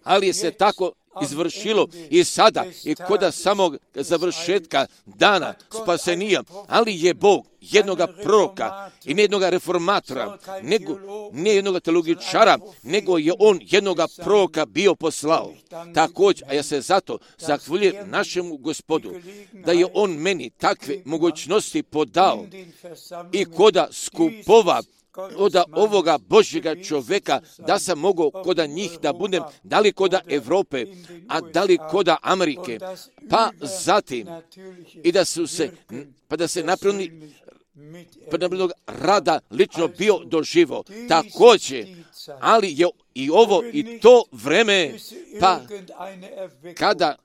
Ali je se tako izvršilo i sada i koda samog završetka dana spasenija, ali je Bog jednoga proroka i ne jednoga reformatora, nego ne jednoga teologičara, nego je on jednoga proroka bio poslao. Također, a ja se zato zahvaljujem našemu Gospodu, da je on meni takve mogućnosti podao i koda skupova od ovoga Božjega čovjeka, da sam mogao koda njih da budem, da li koda Evrope, a da li koda Amerike, pa zatim i da su se, pa da se napravili predobnog rada lično bio doživo. Također, ali je i ovo i to vreme, pa kada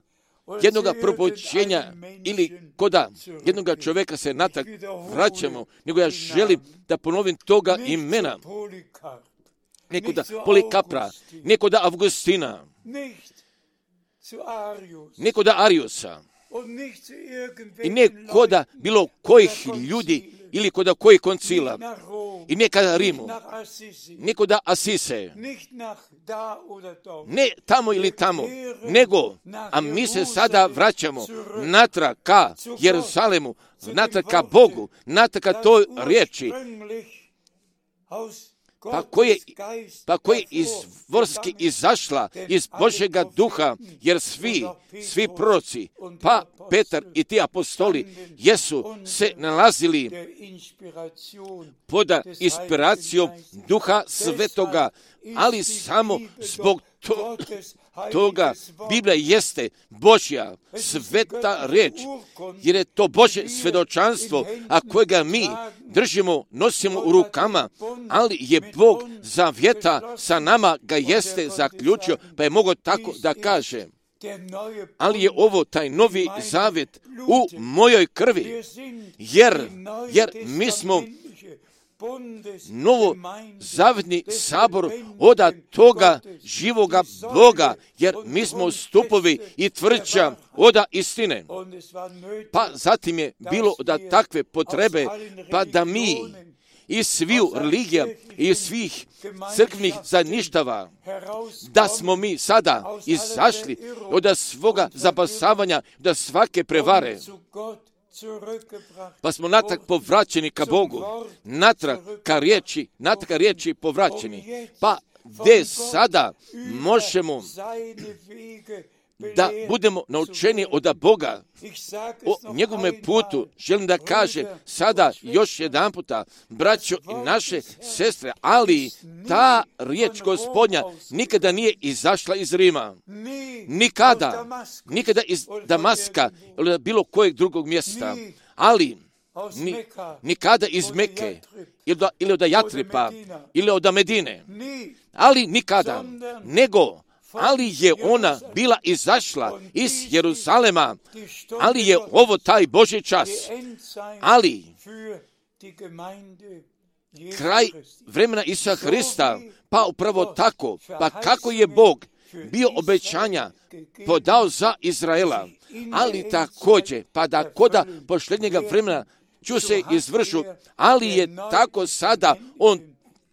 jednoga propoćenja ili koda jednoga čovjeka se natak vraćamo, nego ja želim da ponovim toga imena. Nekoda Polikapra, nekoda Avgustina, nekoda Ariusa i nekoda bilo kojih ljudi ili koda kojih koncila i nekada Rimu, nekoda Asise, ne tamo ili tamo, nego, a mi se sada vraćamo natrag ka Jeruzalemu, natrag ka Bogu, natrag ka toj riječi, pa koje, pa koje izvorski izašla iz Božjega duha, jer svi, svi proroci, pa Petar i ti apostoli, jesu se nalazili pod inspiracijom duha svetoga, ali samo zbog to, toga Biblija jeste Božja sveta riječ, jer je to Božje svjedočanstvo, a kojega mi držimo, nosimo u rukama, ali je Bog zavjeta sa nama ga jeste zaključio, pa je mogao tako da kaže. Ali je ovo taj novi zavjet u mojoj krvi, jer, jer mi smo novo zavjetni sabor od toga živoga Boga, jer mi smo stupovi i tvrđa od istine. Pa zatim je bilo da takve potrebe, pa da mi iz sviju religija i svih crkvnih zajedništava, da smo mi sada izašli od svoga zapasavanja, od svake prevare, pa smo natrag povraćeni ka Bogu, natrag ka riječi, natrag ka riječi povraćeni, pa gdje sada možemo da budemo naučeni od Boga o njegovome putu. Želim da kažem sada još jedan puta, braćo i naše sestre, ali ta riječ Gospodnja nikada nije izašla iz Rima. Nikada. Nikada iz Damaska ili bilo kojeg drugog mjesta. Ali ni, nikada iz Meke ili, da, ili od Jatripa ili od Medine. Ali nikada. Nego ali je ona bila izašla iz Jeruzalema, ali je ovo taj Božji čas, ali kraj vremena Isusa Hrista, pa upravo tako, pa kako je Bog bio obećanja podao za Izraela, ali također, pa da koda posljednjega vremena ću se izvršu, ali je tako sada on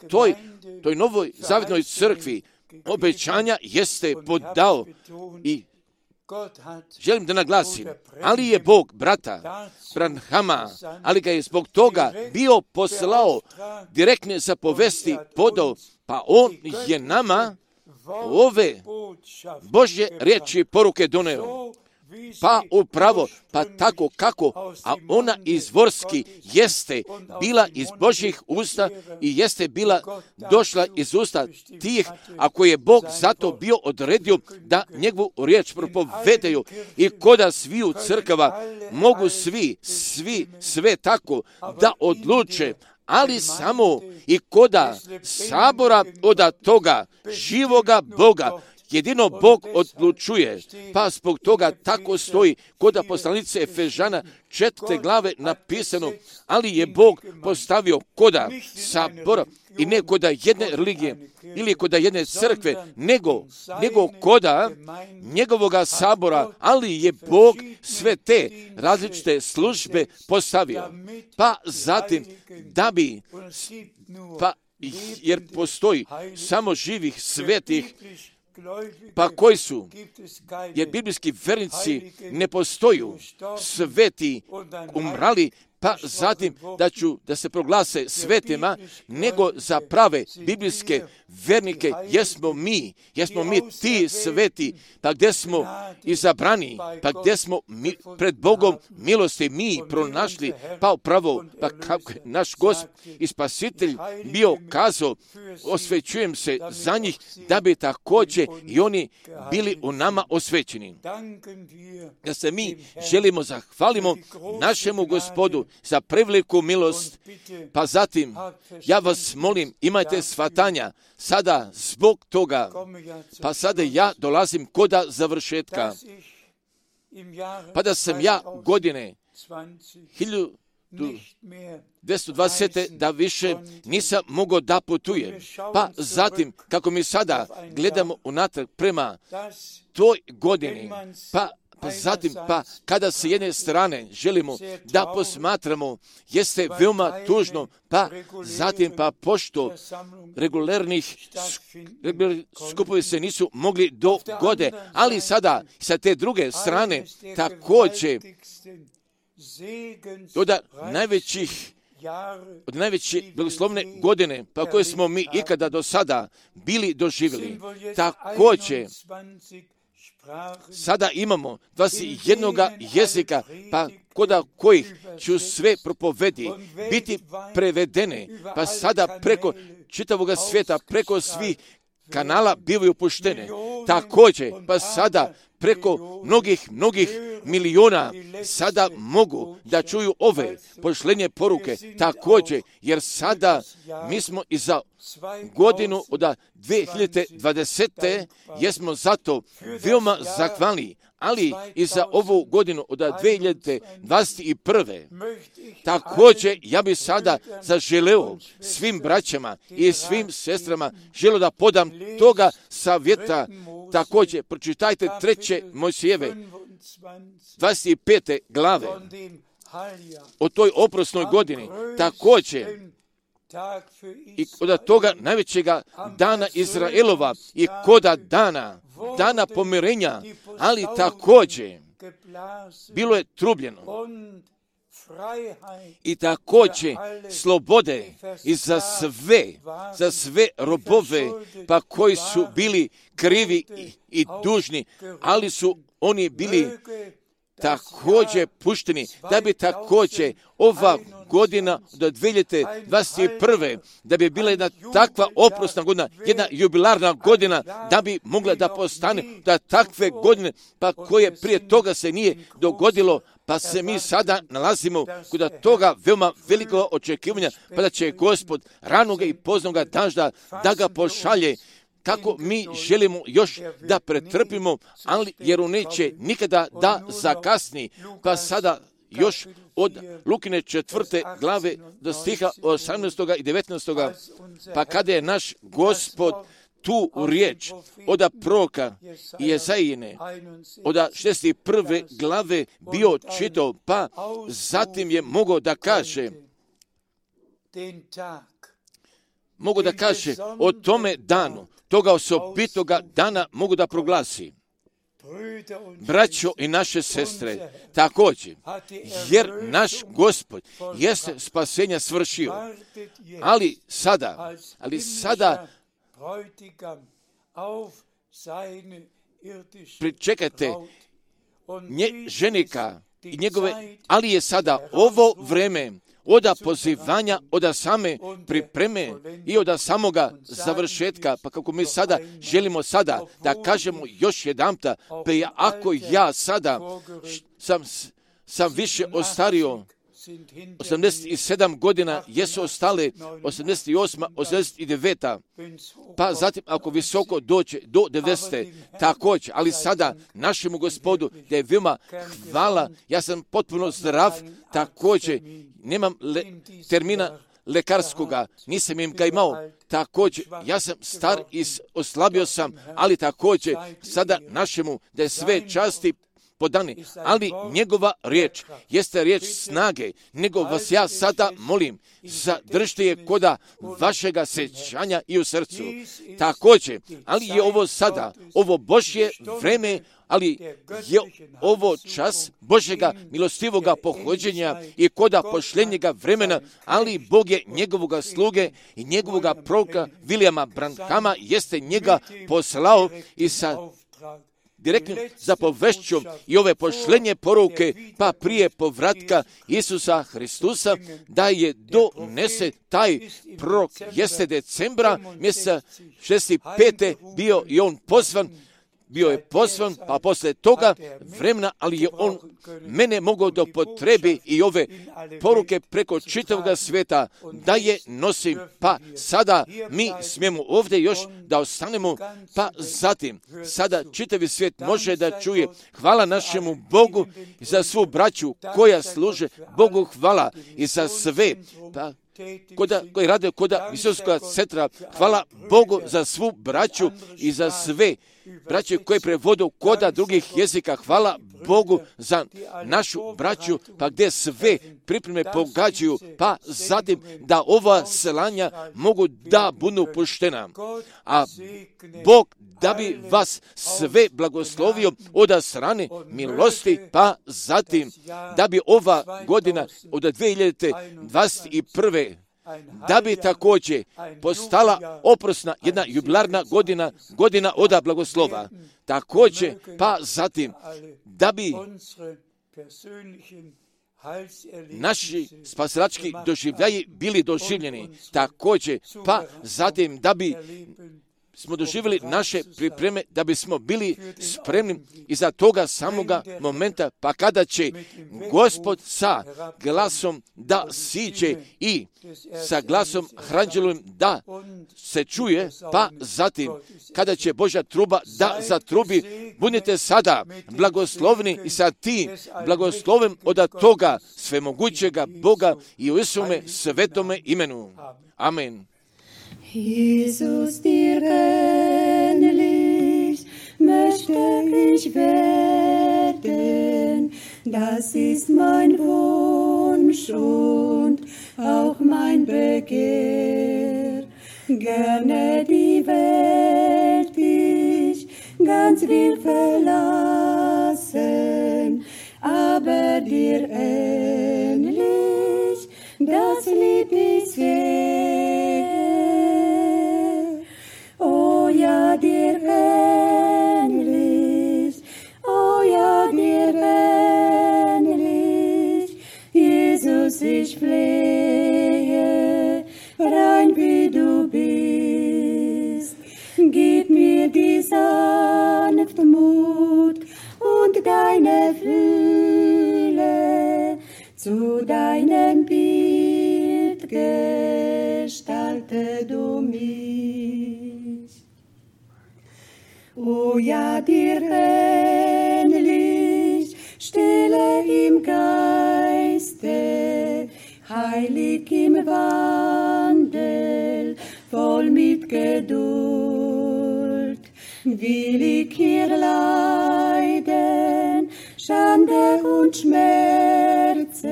toj, toj novoj zavjetnoj crkvi obećanja jeste podao i želim da naglasim, ali je Bog brata Branhama, ali ga je zbog toga bio poslao direktne zapovesti podao, pa on je nama ove Božje riječi poruke doneo. Pa upravo, pa tako kako, a ona izvorski jeste bila iz Božjih usta i jeste bila došla iz usta tih, ako je Bog zato bio odredio da njegovu riječ propovedaju i koda sviju crkava mogu svi, svi, sve tako da odluče, ali samo i koda sabora od toga živoga Boga, jedino Bog odlučuje, pa zbog toga tako stoji kod poslanice Efežana četvrte glave napisano, ali je Bog postavio koda sabora i ne koda jedne religije ili koda jedne crkve, nego, nego koda njegovoga sabora, ali je Bog sve te različite službe postavio. Pa zatim da bi, pa jer postoji samo živih svetih, pa koji su, jer biblijski vernici ne postoju, sveti umrali, pa zatim da ću da se proglase svetima, nego za prave biblijske vernike jesmo mi, jesmo mi ti sveti, pa gdje smo izabrani, pa gdje smo mi, pred Bogom milosti mi pronašli, pa upravo, pa kako je naš Gospod i Spasitelj bio kazao, osvećujem se za njih, da bi također i oni bili u nama osvećeni. Da se mi želimo zahvalimo našemu Gospodu za preveliku milost, pa zatim ja vas molim, imajte shvatanja sada zbog toga, pa sada ja dolazim koda završetka, pa da sam ja godine hiljadu dvjesto dvadeset da više nisam mogao da putujem. Pa zatim, kako mi sada gledamo unatrag prema toj godini, pa Pa zatim, pa kada se jedne strane želimo da posmatramo, jeste veoma tužno, pa zatim, pa pošto regularnih skupovi se nisu mogli dogode, ali sada sa te druge strane također od najvećih od najveće blagoslovne godine, pa koje smo mi ikada do sada bili doživjeli, također sada imamo dvadeset jedan jezika, pa koda kojih ću sve propovedi biti prevedene, pa sada preko čitavog svijeta, preko svih kanala bivaju puštene. Također, pa sada preko mnogih, mnogih miliona sada mogu da čuju ove pošlenje poruke. Također, jer sada mi smo i za godinu od dvije hiljade dvadesete jesmo zato veoma zahvalni, ali i za ovu godinu od dvije hiljade dvadeset prve. Također, ja bih sada zaželeo svim braćama i svim sestrama želeo da podam toga savjeta. Također, pročitajte treće Mojsijeve dvadeset pete glave o toj oprosnoj godini. Također, i od toga najvećega dana Izraelova i koda dana, dana pomirenja, ali također bilo je trubljeno. I također slobode i za sve, za sve robove, pa koji su bili krivi i, i dužni, ali su oni bili također pušteni, da bi također ova godina do dvije hiljade dvadeset prve, da bi bila jedna takva oprosna godina, jedna jubilarna godina, da bi mogla da postane da takve godine, pa koje prije toga se nije dogodilo, pa se mi sada nalazimo kod toga veoma velikog očekivanja, pa da će Gospod ranoga i poznoga dažda da ga pošalje, kako mi želimo još da pretrpimo, ali jer on neće nikada da zakasni. Pa sada još od Lukine četvrte glave do stiha osamnaestog i devetnaestog pa kada je naš Gospod tu u riječ od proroka Jezajine, od šezdeset prve glave bio čitao, pa zatim je mogao da kaže, mogu da kaže o tome danu, toga osobitoga dana mogu da proglasi. Braćo i naše sestre, također, jer naš Gospod jeste spasenja svršio, ali sada, ali sada pričekajte nje, ženika i njegove, ali je sada ovo vreme oda pozivanja, oda same pripreme i oda samoga završetka, pa kako mi sada želimo sada da kažemo još jedanputa, pa ja, ako ja sada sam, sam više ostario, osamdeset sedam godina jesu ostale, osamdeset osam, osamdeset devet, pa zatim ako visoko dođe do devedesete, također, ali sada našemu Gospodu da je veoma hvala, ja sam potpuno zdrav, također, nemam le, termina lekarskoga, nisam im ga imao, također, ja sam star i oslabio sam, ali također, sada našemu da je sve časti podani, ali njegova riječ jeste riječ snage, nego vas ja sada molim, zadržite je koda vašega sjećanja i u srcu. Također, ali je ovo sada, ovo Božje vreme, ali je ovo čas Božjega milostivoga pohođenja i koda pošljenjega vremena, ali Bog je njegovoga sluge i njegovoga proroka Williama Branhama jeste njega poslao i sa direktnim zapovešćom i ove pošlenje poruke, pa prije povratka Isusa Hristusa, da je donese taj prorok, jeste decembra mjeseca šezdeset pete bio i on pozvan, bio je pozvan, pa poslije toga vremena, ali je on mene mogao da potrebi i ove poruke preko čitavog svijeta, da je nosim, pa sada mi smijemo ovdje još da ostanemo, pa zatim, sada čitavi svijet može da čuje. Hvala našemu Bogu za svu braću koja služe Bogu, hvala i za sve, pa Koda, koji rade koda Visokog centra. Hvala Bogu za svu braću i za sve braće koje prevodu koda drugih jezika. Hvala Bogu za našu braću, pa gdje sve pripreme pogađaju, pa zatim da ova selanja mogu da budu puštena. A Bog da bi vas sve blagoslovio od strane milosti, pa zatim da bi ova godina od dvije hiljade dvadeset prve da bi također postala oprosna jedna jubilarna godina, godina oda blagoslova. Također, pa zatim da bi naši spasilački doživljaji bili doživljeni. Također, pa zatim da bi smo doživjeli naše pripreme, da bismo bili spremni iza toga samoga momenta, pa kada će Gospod sa glasom da siđe i sa glasom hranđelovim da se čuje, pa zatim kada će Božja truba da zatrubi, budite sada blagoslovni i sa tim blagoslovem od toga svemogućega Boga i u Isume svetome imenu. Amen. Jesus, dir ähnlich möchte ich werden, das ist mein Wunsch und auch mein Begehr. Gerne die Welt ich ganz will verlassen, aber dir ähnlich, das lieb ich sehr. Oh ja, dir ähnlich, oh ja, dir ähnlich, Jesus, ich flehe, rein wie du bist. Gib mir die Sanftmut und deine Fülle, zu deinem Bild gestalte du mich. O ja, dir ähnlich, stille im Geiste, heilig im Wandel, voll mit Geduld, will ich hier leiden, Schande und Schmerzen,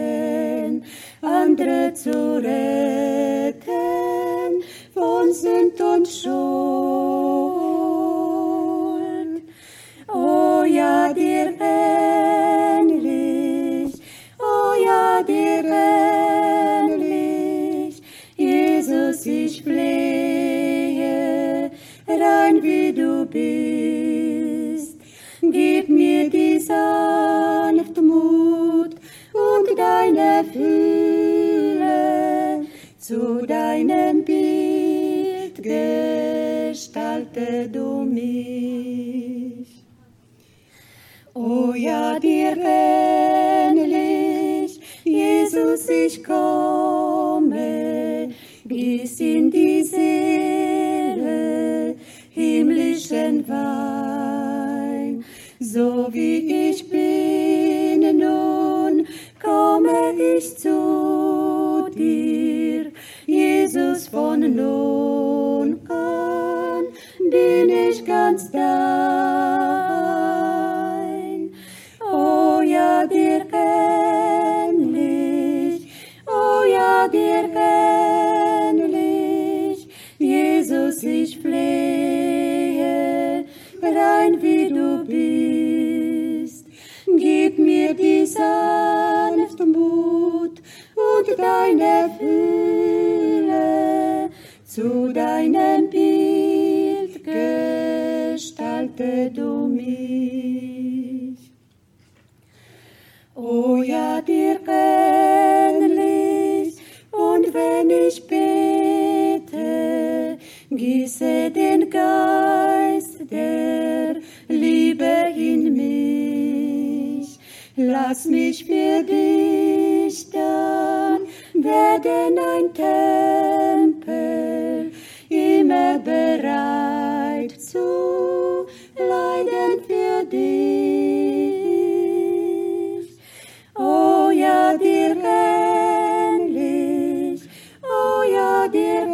andere zu retten, von Sünd und Schuld. Oh ja, dir ähnlich, oh ja, dir ähnlich, Jesus, ich flehe, rein wie du bist. Gib mir die Sanftmut und deine Fülle, zu deinem Bild gestalte du mich. O ja, dir ähnlich, Jesus, ich komme bis in die Seele, himmlischen Wein. So wie ich bin nun, komme ich zu dir, Jesus, von nun an bin ich ganz dein. dir ähnlich, Jesus, ich flehe, rein wie du bist. Gib mir die Sanftmut und deine Fülle, zu deinem Bild gestalte du mich. O ja, dir ähnlich, und wenn ich bete, gieße den Geist der Liebe in mich. Lass mich für dich dann werden ein Tempel, immer bereit zu leiden für dich. Oh ja, dir ähnlich, oh ja, dir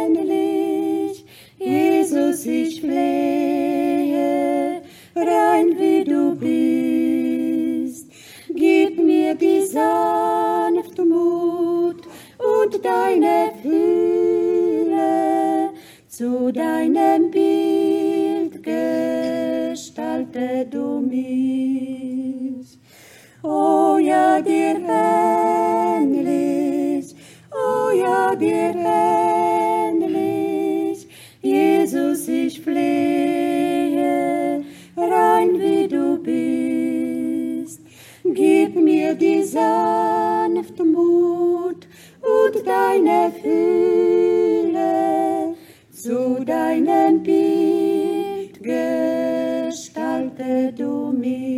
ähnlich, Jesus, ich flehe, rein wie du bist. Gib mir die Sanftmut und deine Fülle, zu deinem Bild gestalte du mich. Oh ja, dir ähnlich, oh ja, dir ähnlich, Jesus, ich flehe, rein wie du bist. Gib mir die Sanftmut und deine Fülle, zu deinem Bild gestalte du mich.